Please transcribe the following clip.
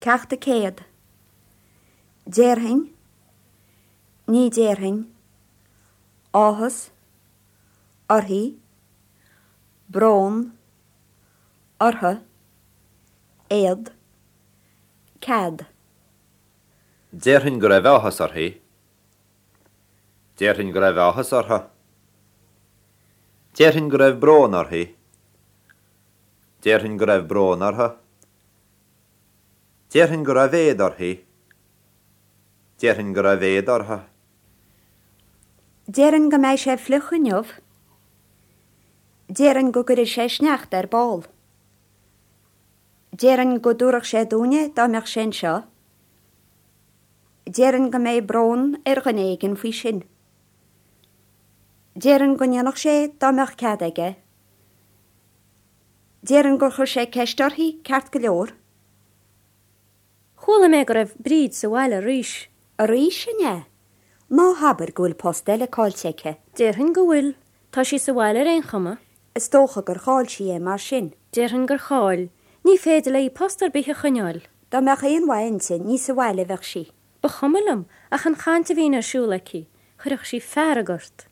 Ceacht 100. Déarfainn, ní déarfainn, áthas, uirthi, brón, orthu, éad, cead. Déarfainn go raibh áthas uirthi. Déarfainn go raibh áthas orthu. Déarfainn go raibh brón uirthi. Déarfainn go raibh brón orthu. Déarfainn go raibh éad uirthi. Déarfainn go raibh éad orthu. Déarfainn go mbeidh sé fliuch inniu. Déarfainn go gcuirfidh sé sneachta ar ball. Déarfainn go dtabharfadh sé dúinn é dá mbeadh sé anseo. Déarfainn go mbeidh brón ar dhuine éigin faoi sin. Déarfainn go ndéanfadh sé dá mbeadh cead aige. Déarfainn gur chuir sé ceist uirthi ceart go leor. Chuala mé go raibh Bríd sa bhaile arís. Arís, an ea? Ná habair go bhfuil post eile caillte aici. Déarfainn go bhfuil. Tá sí sa bhaile ar aon chuma. Is dócha gur chaill sí é mar sin. Déarfainn gur chaill. Ní féidir léi post ar bith a choinneáil. Dá mbeadh aon mhaith inti, ní sa bhaile a bheadh sí. Ba chuma liom, ach an chaint a bhíonn ar siúl aici, chuirfeadh sí fearg ort.